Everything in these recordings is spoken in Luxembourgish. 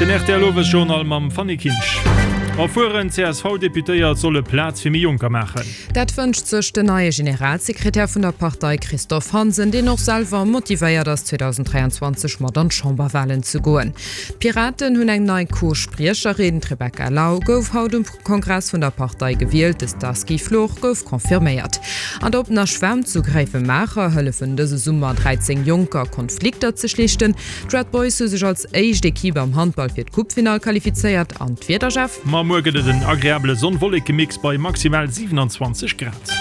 Den rtl Owesjournal mam Fanny Kinsch. Erfueren CSV-Deputéiert solle Plaz fir méi Jonker maachen. Dat wënscht sech den neie Generalsekretär vun der Partei Christophe Hansen, deen och selwer motivéiert ass 2023 mat an d'Chamberwalen ze goen. D'Piraten hunn eng nei Co-Spriecherin, D'Rebecca Lau gouf haut um Kongress vun der Partei gewielt, de Starsky Flor gouf confirméiert. An der oppener Schwämm zu Gréiwemaacher hëllefen dëse Summer 13 Jonker, Konflikter ze schlichten. D'Red Boys hu sech als éischt Equipe am Handball fir d'Coupefinall qualifizéiert. An d'Wieder, Jeff? Ma muer gëtt et en agreabele Sonn-Wolleke-Mix bei maximal 27 Grad.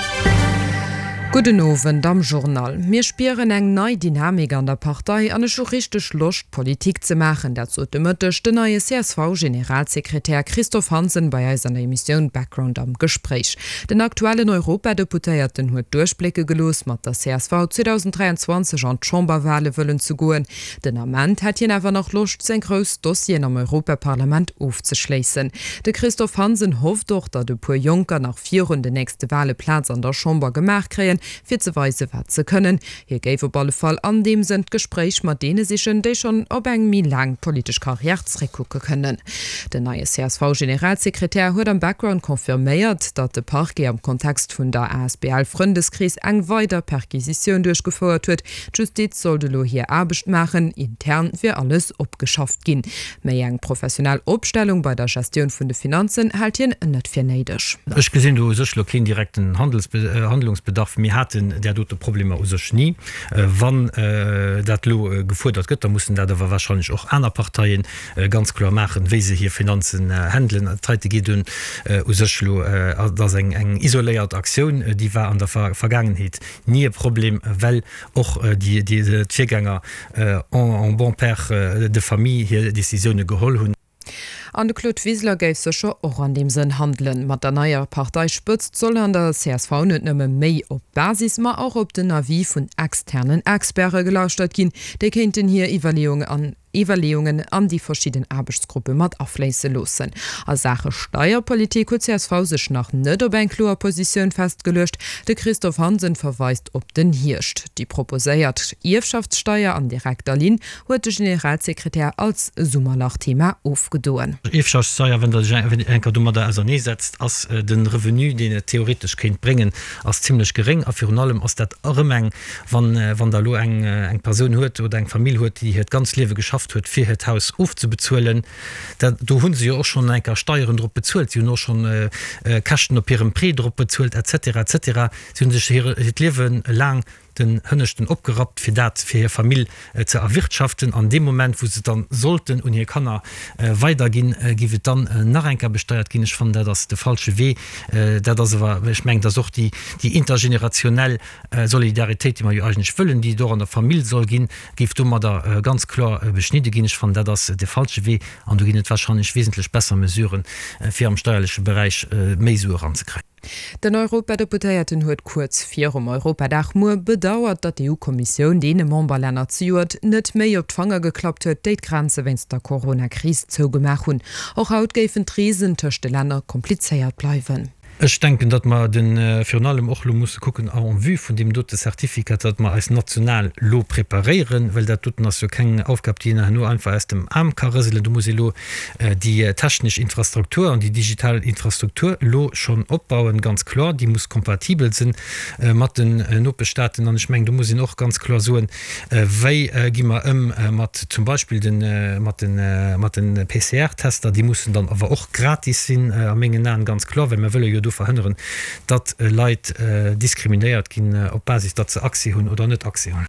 Gudden Owend am Journal. Mir spieren eng nei Dynamik an der Partei an ech hu richteg Loscht Politik ze maachen. Dat sot de Mëtteg den neie CSV-Generalsekretär Christophe Hansen bei eis an der Emissioun Background am Gespréich. Den aktuellen Europadeputéierten huet duerchblécke gelooss, mat der csv 2023 an d'Chamberwale wëllen ze goen. Den Ament hätt hien awer nach Loscht, seng grouss Dossieren am Europaparlament ofzeschléissen. De Christophe Hansen hofft och, datt e puer Jonker nach virun den nächste Wale Plaz an der Chamber gemaach kréien, fir ze weise wat se kënnen. Hie géif op alle Fall an deem Sënn d'Gespréich mat deene sichen, déi schonn op eng méi laang politesch Karriär zréckkucke kënnen. Den neie CSV-Generalsekretär huet am Background confirméiert, datt de Parquet am Kontext vun der asbl Frëndeskrees eng weider Perquisitioun duerchgefouert huet. D'Justiz sollt elo hir Aarbecht maachen, intern wier alles opgeschafft ginn. Méi eng professionell Opstellung bei der Gestioun vun de Finanzen hält hien net fir néideg. Ech gesinn do u sech elo keen direkten Handlungsbedarf. Mir haten där dote Problemer u sech ni. Wann dat elo gefuerdert gëtt, da mussen dat awer wahrscheinlech och aner Parteie ganz kloer maachen, wéi se hir Finanzen handelen. Dat heite geet un u sech elo, dat ass eng isoléiert Aktioun, déi war an der Vergaangenheet ni e Problem, well och d'Virgänger en bon père de famille hir Décisioune geholl hunn. An de Claude Wiseler géif sécher och an deem Sënn handelen. Mat der neier Parteispëtzt soll an der csv net nëmme méi op d'Basis, ma och op den Avis vun externen Experte gelauschtert ginn. Déi kéinten hir Iwwerleeungen an déi verschidden Aarbechtsgruppe mat afléisse loossen. A Saache Steierpolitik huet csv sech nach net op eng kloer Positioun festgeluecht. De Christophe Hansen verweist op den Hierscht. Déi proposéiert Ierfschaftssteier an direkter Linn huet de Generalsekretär als Summerlach-Thema ofgedoen. Ierfschaftssteier, wann Der sech eng Kéier domadder auserneesetzt, ass de Revenu, deen et theoretesch kéint bréngen, ass zimlech geréng. A virun allem ass dat erëm eng, wann wann Der elo eng eng Persoun huet oder eng Famill huet, déi hiert ganz Liewe geschafft huet, fir hiert Haus ofzebezuelen, dat do hu se jo och schonn eng Kéier Steieren drop bezuelt, si hunn och schonn Käschten op hirem Prêt drop bezuelt et cetera et cetera. Si hu sech hiert Liewe laang den Hënneschten opgerappt, fir dat fir hir Famill ze erwirtschaften. An deem Moment, wou se et dann sollten un hir Kanner weiderginn, géif et dann nach eng Kéier besteiert ginn. Ech fannen, dat ass de falsche Wee. Dat ass awer, ech mengen, dat ass och déi intergenerationell Solidaritéit, déi mer jo eigentlech wëllen, déi et och an der Famill soll ginn, géif domadder ganz kloer beschnidde ginn. Ech fannen, dat ass de falsche Wee an do ginn et wahrscheinlech wesentlech besser Mesuren, fir am steierleche Beräich méi Sue eranzekréien. Den Europadeputéierten huet kuerz virum Europadag muer bedauert, datt d'EU-Kommissioun deene Memberlänner zejoert net méi op d'Fanger geklappt huet, déi d'Grenze wéinst der Corona-Kris zougemaach hunn. Och haut géifen d'Reesen tëscht de Länner komplizéiert bleiwen. Ech denken, datt mer de virun allem och elo musse kucken en vue vun deem dote Certificat, datt mer eis national elo preparéieren, well dat doten ass jo keng Aufgab, déi een herno einfach aus dem Aarm ka rëselen. Do muss ee elo déi technesch Infrastruktur an déi digital Infrastruktur elo schonn opbauen, ganz kloer. Déi muss kompatibel sinn mat den Nopeschstaaten. An ech mengen, do muss een och ganz kloer soen, Wéi gi mer ëm mat zum Beispill de mat de mat de PCR-Tester? Déi mussen dann awer och gratis sinn a mengen Aen, ganz kloer, well mir wëlle jo do verhënneren, datt Leit diskriminéiert ginn op Basis, datt se Accès hunn oder net Accès hunn.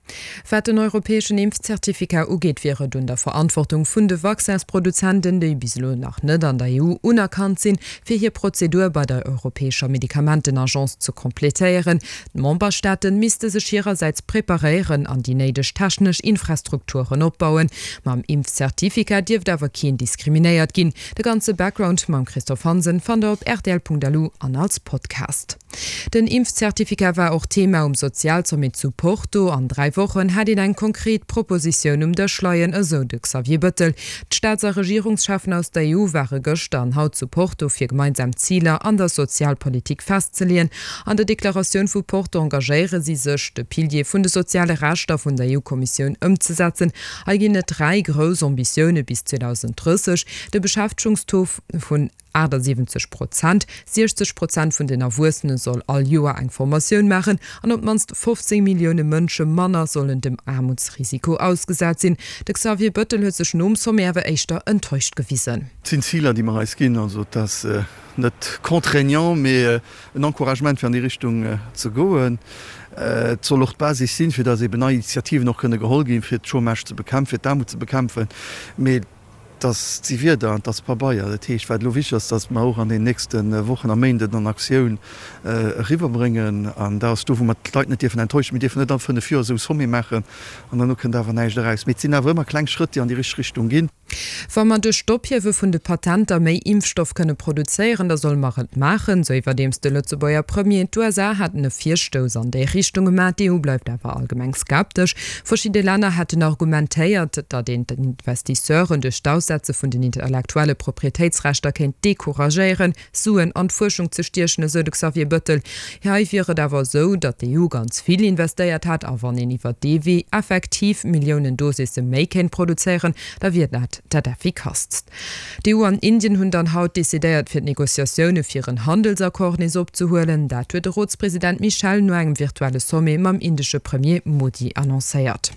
Wat den europäeschen Impfzertificat ugeet, wier et un der Verantwortung vun de Vaccins-Produzenten, déi bis elo nach net an der EU unerkannt sinn, fir hir Prozedur bei der europäescher Medikamentenagence ze completéieren. D'Memberstaate misste sech hirersäits preparéieren an déi néideg technesch Infrastrukturen opbauen. Mam Impfzertificat dierft awer keen diskriminéiert ginn. De ganze Background mam Christophe Hansen fannt der op rtl.lu. an als Podcast. Den Impfzertificat war och Thema um Sozialsommet zu Porto. An 3 Wochen hätt een eng konkret Propositioun um Dësch leien, esou de Xavier Bëttel. D'Staats a Regierungscheffen aus der EU ware gëschter an haut zu Porto, fir gemeinsam Ziler an der Sozialpolitik festzeleeën. An der Deklaratioun vu Porto engagéiere si sech, de Pilier vun de soziale Rechter vun der EU-Kommissioun ëmzesetzen. Hei ginn et 3 grouss Ambitioune bis 2030, de Beschäftegungstaux vun 78 Prozent, 60 Prozent vun den Erwuessene soll all Joer eng Formatioun maachen an op d'mannst 15 Millioune Mënsche manner sollen dem Aarmutsrisiko ausgesat sinn. De Xavier Bëttel huet sech nom Sommet awer éischter enttäuscht gewisen. Et sinn Ziler, déi mer eis ginn. Also et ass net contraignant, mee en Encouragement fir an déi Richtung ze goen. Et soll och d'Basis sinn, fir datt eben nei Initiativen och kënne geholl ginn, fir d'Chômage ze bekämpfen, fir d'Aarmut ze bekämpfen. Mee Et ass si Wierder an et ass Pabeier. Dat heescht, wat elo wichteg ass, datt mer och an den nächste Wochen a Méinden an Aktioun eriwwerbréngen. An dat ass do, wou mer d'Leit net dierfen enttäuschen. Mir dierfen net all 5 Joer esou e Sommet maachen an herno kënnt awer näischt eraus. Mee et sinn awer ëmmer kleng Schrëtt, déi an déi richteg Richtung ginn. Wa mer duerch d'Ophiewe vun de Patenter méi Impfstoff kënne produzéieren, da solle mer et maachen, sou iwwerdeems de Lëtzebuerger Premier. D'USA haten e Virstouss an déi Richtung gemaach, d'EU bleift awer allgemeng skeptesch. Verschidde Länner hätten argumentéiert, datt een d'Investisseuren duerch d'Aussetze vun den intellektuelle Proprietéitsrechter kéint decouragéieren, Suen an d'Fuerschung ze stiechen, esou de Xavier Bëttel. Hei wier et awer esou, datt d'EU ganz vill investéiert hätt a wann een iwwer dee Wee effektiv Milliounen Dosisse méi kéint produzéieren, da wier dat dat effikasst. D'EU an Indien hunn dann haut decidéiert, fir d'Negociatioune fir en Handelsaccord nees opzehuelen. Dat huet de Rotspresident Michel no engem virtuelle Sommet mam indesche Premier Modi annoncéiert.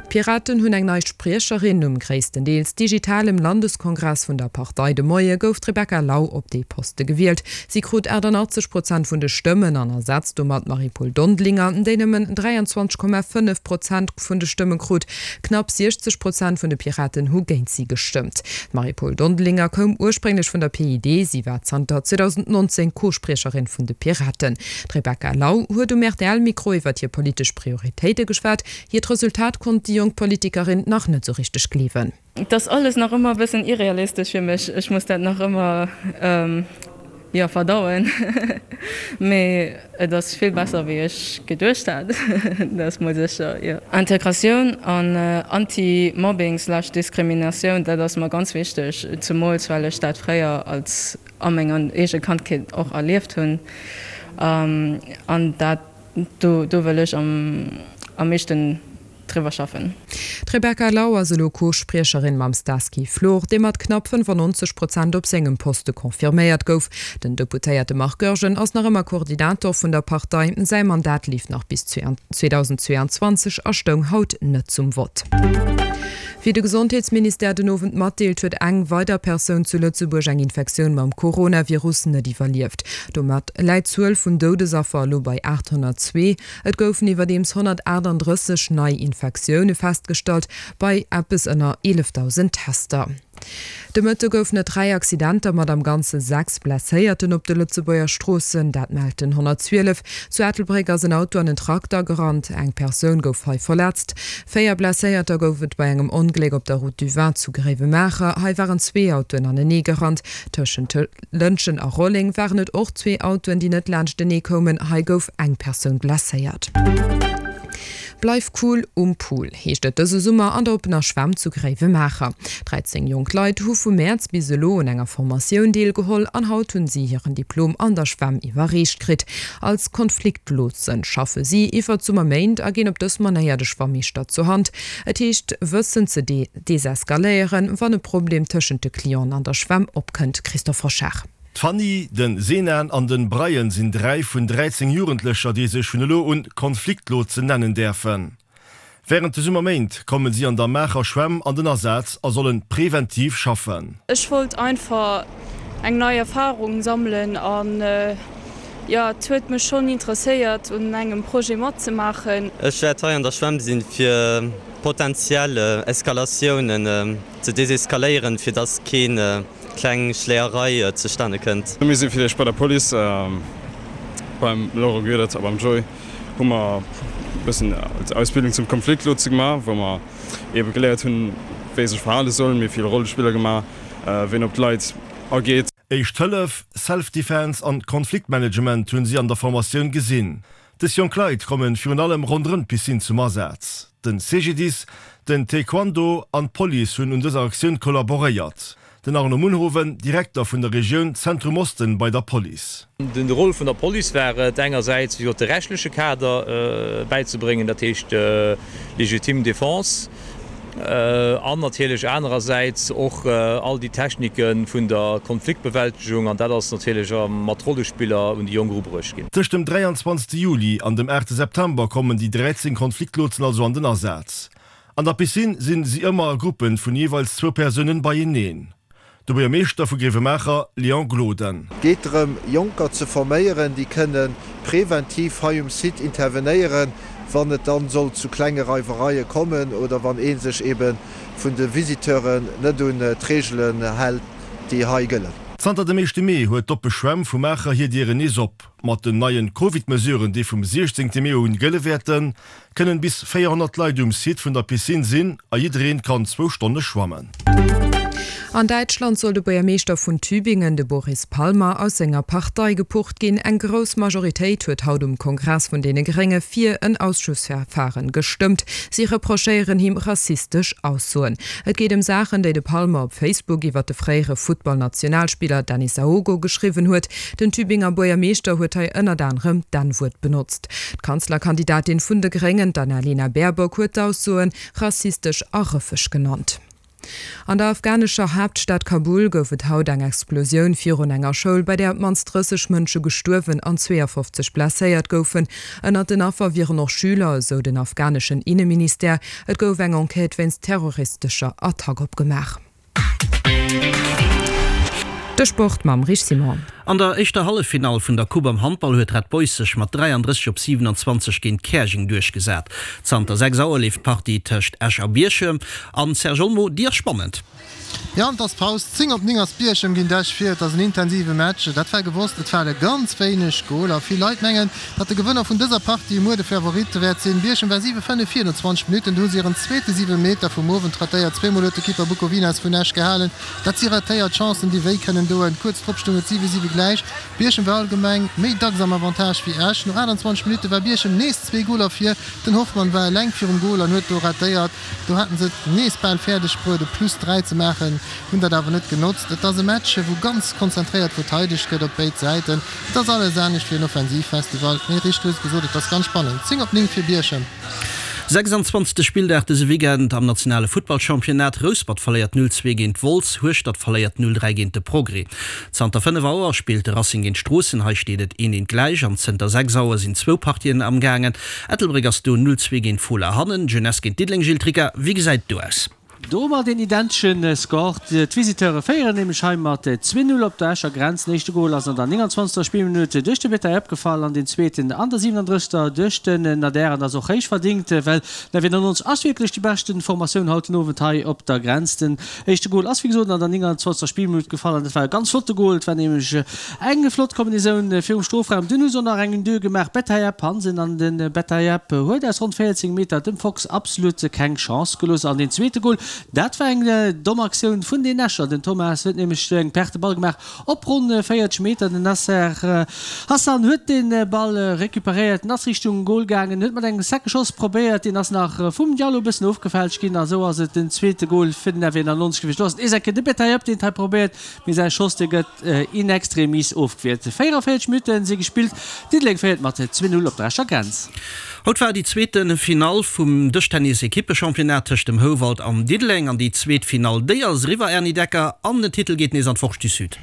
D'Piraten hunn eng nei Spriecherin. Um gréisstendeels digitalem Landeskongress vun der Partei de Moie gouf d'Rebecca Lau op dee Poste gewielt. Si krut 88 Prozent vun de Stëmmen an ersetzt domat d'Marie-Paule Dondelinger, déi nëmmen 23,5 Prozent vun de Stëmme krut. Knapp 60 Prozent vun de Piraten hu géint si gestëmmt. D'Marie-Paule Dondelinger koum ursprénglech vun der PID, si war zanter 2019 Co-Spriecherin vun de Piraten. D'Rebecca Lau huet um RTL-Mikro iwwer hir politesch Prioritéite geschwat. Hiert Resultat konnt déi jonk Politikerin nach net sou richteg gleewen. Et ass alles nach ëmmer e bëssen irrealistesch fir mech. Ech muss dat nach ëmmer, jo, verdauen. Mee et ass vill besser wéi ech geduecht hat, dat ass mol sécher, jo. Integratioun an Anti-Mobbing slash Diskriminatioun, dat ass mer ganz wichteg, zemools well ech dat fréier als a menger eege Kandheet och erlieft hunn. An dat, do, do wëll ech am am meeschten driwwer schaffen. D'Rebecca Lau ass elo Co-Spriecherin mam Stasky Flor, dee mat knapp 95 Prozent op sengem Poste confirméiert gouf. Den Deputéierte Marc Goergen ass nach ëmmer Koordinator vun der Partei. Säi Mandat leeft nach bis 2022 a stoung haut net zum Vott. Wéi de Gesondheetsministère den Owend matdeelt, huet eng weider Persoun zu Lëtzebuerg eng Infektioun mam Coronavirus net iwwerlieft. Domat läit d'Zuel vun Doudesaffer elo bei 802. Et goufen iwwerdeems 138 nei Infektioune festgestallt, bei eppes ënner 11.000 Tester. De Mëtte goufen et 3 Accidenter mat am Ganze 6 Blesséierten op de Lëtzebuerger Stroossen. Dat mellt den 112. Zu Ettelbréck ass en Auto an en Trakter gerannt. Eng Persoun gouf hei verletzt. 4 Blesséierter gouf et bei engem Ongléck op der Route du Vin zu Gréiwemaacher. Hei waren zwee Autoen anenee gerannt. Tëschent Lëntgen a Rolleng waren et och zwee Autoen, déi net laanschtenee koumen. Hei gouf eng Persoun blesséiert. Bleif cool um Pool, heescht et dëse Summer an der oppener Schwämm zu Gréiwemaacher. 13 jonk Leit hu vu Mäerz bis elo un enger Formatioun deelgeholl an haut hunn si hiren Diplom an der Schwämm iwwerreecht kritt. Als Konfliktlotsen schaffe si iwwer d'Summerméint a ginn op dës Manéier de Schwammeeschter zur Hand. Et heescht wëssen ze Deseskaléieren, wann e Problem tëschent de Clienten an der Schwämm opkënnt, Christophe Hochard. D'Fanny, den Senan an den Brian sinn 3 vun 13 Jugendlecher, déi sech vun elo un Konfliktlotsen nennen däerfen. Wärend de Summerméint kommen si an der Maacher Schwämm an den Asaz a sollen präventiv schaffen. Ech wollt einfach eng nei Erfahrung sammelen an jo et huet mech schonn interesséiert un engem Projet matzemaachen. Ech wäert hei an der Schwämm sinn fir Potentiell Eskalatiounen ze deseskaléieren, fir dass keen kleng Schléierei zustane kënnt. Mir si fir d'éischt bei der Police, beim Laurent Goedert a beim Joy hu mer e bëssen Ausbildung zum Konfliktlotse gemaach, wou mer eebe geléiert hunn, wéi ee sech verhale soll. Mir hu vill Rollespiller gemaach, wéi een op d'Leit ageet. Éischt Hëllef, Self-Defense an Konfliktmanagement hunn si an der Formatioun gesinn. Dës jonk Leit kommen virun allem ronderëm d'Piscine zum Asaz. Den CGDIS, den Taekwondo an d'Police hunn un dëser Aktioun kollaboréiert. Den Arno Munhowen, Direkter vun der Regioun Zentrum Osten bei der Police. De Rôle vun der Police war et engersäits, wéi gesot, de rechtleche Kader bäizebréngen, dat heescht légitime défense, an natierlech anerersäits och all déi Technike vun der Konfliktbewältegung, an dat ass natierlech mat Rollespiller un déi Jonk erubruecht ginn. Tëscht dem 23 Juli an dem 8 September kommen déi 13 Konfliktlotsen also an den Asaz. An der Piscine sinn si ëmmer a Gruppen vun jeeweils zwou Persounen beieneen. De Buergermeeschter vu Grevenmacher, Léon Gloden. Et geet drëm, Jonker ze forméieren, déi kënne preventiv hei um Site intervenéieren, wann et dann sollt zu klenge Reiwereie kommen oder wann ee sech ebe vun de Visiteuren net un d'Reegelen hält, déi hei gëllen. Zanter dem éischte Mee huet d'oppe Schwämm vu Maacher hir Dieren nees op. Mat den neien Covid-Mesuren, déi vum 16 Mee un gëlle wäerten, kënnen bis 400 Leit um Site vun der Piscine sinn a jiddereen kann zwou Stonne schwammen. An Däitschland soll de Buergermeeschter vun Tübingen, de Boris Palmer, aus senger Partei gepucht ginn. Eng grouss Majoritéit huet haut um Kongress vun deene Grénge fir en Ausschussverfaren gestëmmt. Si reprochéieren him rassistesch Aussoen. Et geet ëm Saachen, déi de Palmer op Facebook iwwer de fréiere Futtballnationalspiller Dennis Aogo geschriwwen huet. Den Tübinger Buergermeeschter huet hei ënnert anerem d'N-Wuert benotzt. D'Kanzlerkandidatin vun de Gréngen, d'Annalena Baerbock, huet d'Aussoe rassistesch a rëffeg genannt. An der afghanescher Haaptstad Kabul gouf et haut eng Explosioun virun enger Schoul, bei där op d'mannst 30 Mënsche gestuerwen an 52 blesséiert goufen. Ënnert den Affer wieren och Schüler, esou den afghaneschen Inneministère. Et gouf eng Enquête wéinst terroristescher Attack opgemaach. De Sport mam Rich Simon. An der éischter Halleffinall vun der Coupe am Handball huet Red Boys sech mat 33 op 27 géint Käerjeng duerchgesat. Zanter 6 Auer leeft d'Partie tëscht Esch a Bierchem. An Serge Olmo, déi ass spannend. Jo, an et ass Paus. 10 op 9 ass Bierchem géint Esch vir. Et ass en intensive Match, dat war gewosst. Et fale ganz wéineg Goler. Vill Leit mengen, datt de Gewënner vun dëser Partie muer de Favorit wäert sinn. Bierchem war 7, 5 vir no 20 Minutten. Do hu se hiren zweete Siwemeter vum Owend ratéiert. Zweemol huet de Keeper Bukovinas vun Esch gehalen. Dat si ratéiert Chancen, déi wéi kënnen doen. Kuerz drop stoung et 7, 7 gläich. Bierchem war allgemeng méi dacks am Avantage wéi Esch. No 28 Minutte war Bierchem nees zwee Goler vir. Den Hoffmann war eleng virum Gol an huet do ratéiert. Do haten se et nees bal fäerdeg bruet e Plus 3 ze maachen, hunn dat awer net genotzt. Et ass e Match wou ganz konzentréiert verteidegt gëtt op béid Säiten. Et ass alles anescht wéi en Offensivfestival, mee Richt huet et gesot, et ass ganz spannend. 10 op 9 fir Bierchem. 26. Spilldag dëse Weekend am nationale Futtballchampionnat, Rouspert verléiert 0, 2 géint Wolz, Hueschtert verléiert 0, 3 géint de Progrès. Zanter 5 Auer spillt de Racing géint Stroossen, hei steet et 1, 1 gläich an zënter 6 Auer sinn zwou Partien amgaangen. Ettelbréck ass do 0, 2 géint Fola hannen. Jeunesse géint Diddeleng, Gilles Tricca, wéi gesäit et do aus? Domat een identesche Score. D'Visiteure féieren nämlech hei mat 2, 0 op der Escher Grenz. Den éischte Gol ass an der 29. Spillminutt duerch de Bettaieb gefall an deen zweeten an der 37. duerch den Nader. An ass och héich verdingt, well den FW 99 ass wierklech déi beschte Formatioun haut den Owend hei op der Grenz. Den éischte Gol ass wéi gesot an der 29. Spillminutt gefall an dat war e ganz flotte Gol. Et war nämlech Eng flott Kombinisoun virum Strofraum, dunn hu se och nach eng Une-deux gemaach, Bettayeb, Hansen an de Bettayeb huet aus ronn 14 Meter dem Fox absolut keng Chance gelooss. An deen zweete Gol, dat war eng domm Aktioun vun den Escher, den Thomas huet nämlech eng Perte Ball gemaach op ronn 40 Meter, den Nasser Hassan huet de Ball recuperéiert, en ass Richtung Gol gaangen, huet mat engem secke Schoss probéiert, deen ass nach vum Diallo e bëssen ofgefälscht ginn a sou ass et den zweete Gol fir den FW 91 gewiescht. Do ass et nees eng Kéier de Bettayeb, deen et hei probéiert, Mee säi Schoss, dee gëtt in extremis ofgwiert. 44 Minutten si gespillt, Diddeleng féiert mat 2, 0 op der Escher Grenz. Haut war déi zweete Finall vum Dëschtennis-Ekippechampionnat tëscht dem Houwald an Diddeleng. An déi zweet Finall, déi ass eriwwer, Erny Decker, an den Titel geet nees an d'Forge du Sud.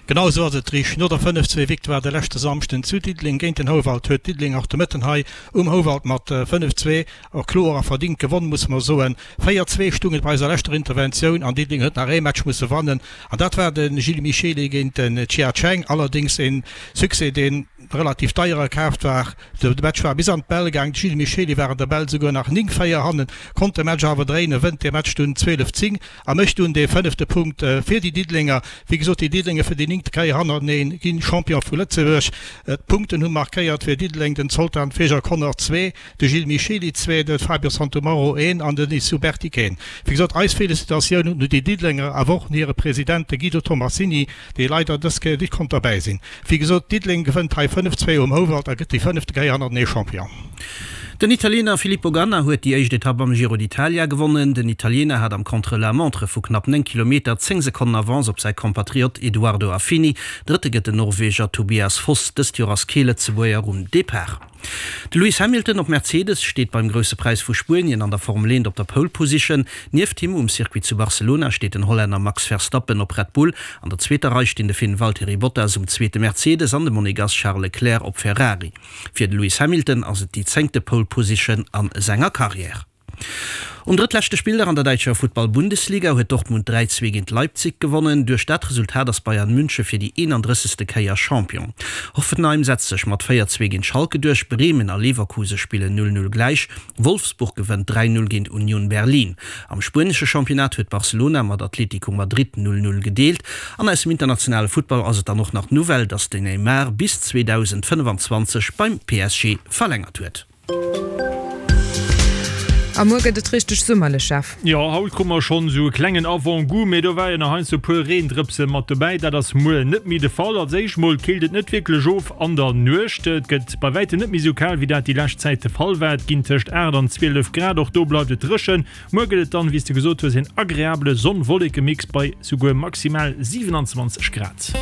Genau esou ass et, Rich. No der 5, 2 Victoire de leschte Samschden zu Diddeleng géint den Houwald huet Diddeleng och de Mëtten hei um Houwald mat 5, 2 Och kloer a verdingt gewonn, musse mer soen. 4, 2 stung et bei eiser leschter Interventioun an Diddeleng huet nach ee Match musse wannen an dat war de Gilles Michely géint den Chia Cheng. Allerdéngs ee Succès, dee relativ deier erkaaft war. De Match war bis an d'Bäll gaang, de Gilles Michely war an der Bäll souguer nach 9, 4 hannen, konnt de Match awer dréinen, wënnt dee Match dunn 12, 10 a mécht dunn dee fënnefte Punkt fir déi Diddelenger. Wéi gesot, déi Diddelenger fir. fir déi néngte Kéier hannerteneen ginn Champion vu Lëtzebuerg. D'Punkten hu markéiert fir Diddeleng den Zoltan Fejer-Connor, zwee, de Gilles Michely, zwee, de Fabio Santomauro, een, an den Issou Bertic, een. Wéi gesot, eis Felicitatioun un déi Diddelenger, awer och un hire President, de Guido Tomassini, dee leider dës Kéier nit konnt derbäi sinn. Wéi gesot, Diddeleng gewënnt hei 5, 2 um Houwald a gëtt déi fënnefte Kéier hannertenee Champion. Den Italiener Filippo Ganna huet déi éischt Etapp am Giro d'Italia gewonnen. Den Italiener hat am Contre-la-montre vu knapp 9 Kilometer 10 Sekonnen Avance op säi Kompatriott Edoardo Affini. Drëtte gëtt den Norweger Tobias Foss. Dëst Joer ass kee Lëtzebuerger um Depart. De Lewis Hamilton op Mercedes steet beim Grousse Präis vu Spuenien an der Formel 1 op der Pole Position. Nieft him um Circuit zu Barcelona steet den Hollänner Max Verstappen op Red Bull. An der zweeter Rei stinn de Finn Valtteri Bottas um zweete Mercedes an de Monegass Charles Leclerc op Ferrari. Fir de Lewis Hamilton ass et déi zéngte Pole Position a senger Karriär. Um drëttleschte Spilldag an der däitscher Futtball-Bundesliga huet Dortmund 3, 2 géint Leipzig gewonnen. Duerch dat Resultat ass Bayern Münche fir déi 31. Kéier Champion. Hoffenheim setzt sech mat 4, 2 géint Schalke duerch, Bremen a Leverkuse spillen 0, 0 gläich, Wolfsburg gewënnt 3, 0 géint Union Berlin. Am spuenesche Championnat huet Barcelona mat Atlético Madrid 0, 0 gedeelt. An aus dem internationale Futtball ass et dann och nach d'Nouvelle, dass den Neymar bis 2025 beim PSG verlängert huet. A muer gëtt et richteg summerlech, Jeff. Jo, haut krute mer schonn esou e klengen Avant-goût, mee do war jo nach heiansdo e puer Reendrëpse mat dobäi. Dat ass muer net méi de Fall. Als éischt mol killt et net wierklech of an der Nuecht. Et gëtt bei wäitem net méi esou kal, wéi dat déi lescht Zäit de Fall war. Et ginn tëscht 8 an 12 Grad, och do bleift et dréchen. Muer gëtt et dann, wéi s de gesot hues, een agreabele Sonn-Wolleke-Mix bei souguer maximal 27 Grad.